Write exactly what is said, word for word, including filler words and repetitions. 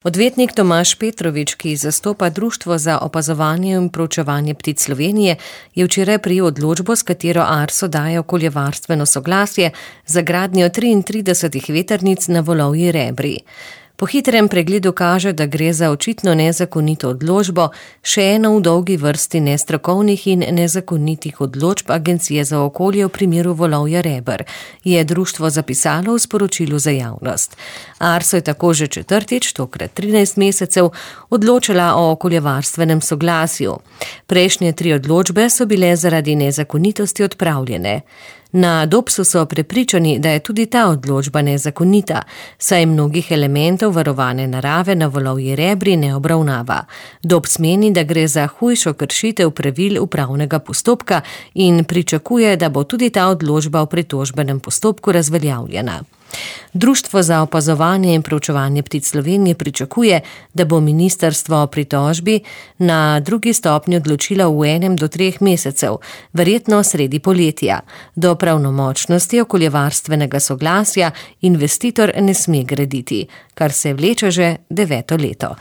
Odvetnik Tomaž Petrovič, ki zastopa Društvo za opazovanje in proučevanje ptic Slovenije, je včeraj prejel odločbo, s katero Arso daje okoljevarstveno soglasje za gradnjo triintridesetih vetrnic na Volovji Rebri. Po hitrem pregledu kaže, da gre za očitno nezakonito odločbo, še eno v dolgi vrsti nestrokovnih in nezakonitih odločb Agencije za okolje v primeru Volovja Reber, je društvo zapisalo v sporočilu za javnost. Arso je tako že četrtič, tokrat trinajst mesecev, odločila o okoljevarstvenem soglasju. Prejšnje tri odločbe so bile zaradi nezakonitosti odpravljene. Na Dopsu so prepričani, da je tudi ta odločba nezakonita, saj mnogih elementov varovane narave na Volovji Rebri ne obravnava. Dops meni, da gre za hujšo kršitev pravil upravnega postopka in pričakuje, da bo tudi ta odločba v pritožbenem postopku razveljavljena. Društvo za opazovanje in proučevanje ptic Slovenije pričakuje, da bo ministrstvo o pritožbi na drugi stopnji odločilo v enem do treh mesecev, verjetno sredi poletja. Do pravnomočnosti okoljevarstvenega soglasja investitor ne sme graditi, kar se vleče že deveto leto.